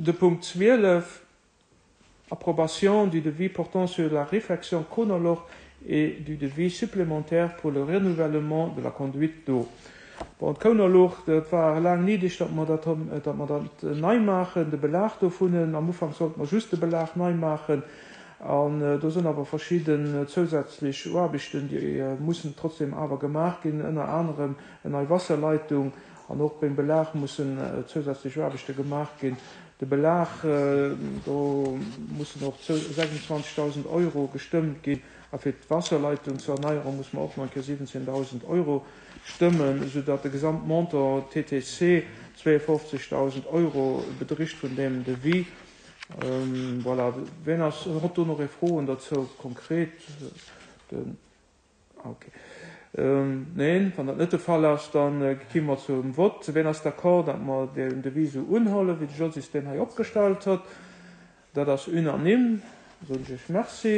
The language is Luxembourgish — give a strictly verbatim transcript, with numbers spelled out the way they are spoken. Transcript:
De Punkt zwielef, Approbation du devis portant sur la réfection Konerloch et du devis supplémentaire pour le renouvellement de la conduite d'eau. Bon, d'Kounerluucht, dat war laang néideg, datt mer dat, datt mer dat nei maachen, de Belag dovunnen. Am Ufank sollte mer just de Belag nei maachen. An do sinn awer verschidden zousätzlech Aarbechten, déi mussen trotzdem awer gemaach ginn, ënner anerem eng nei Wasserleitung. An och beim Belag mussen zousätzlech Aarbechte gemaach ginn. De Belag, do mussen och sechsundzwanzegdausend Euro gestëmmt ginn. A fir d'Wasserleitung ze erneieren, muss mer och nach eng Kéier siwwenzéndausend Euro stëmmen, soudatt de Gesamtmontant T T C zweeënfofzegdausend Euro bedricht vun deem Devis. Voilà. Wien ass, huet do nach ee Froen dozou konkret? Den, okay. Neen, wann dat net de Fall ass, da gi mer zum Vott. Wien ass d'accord, datt mer den Devis esou unhuelen, wéi de Josy deen hei opgestallt huet? Dat ass unanime. Soen ech Iech Merci.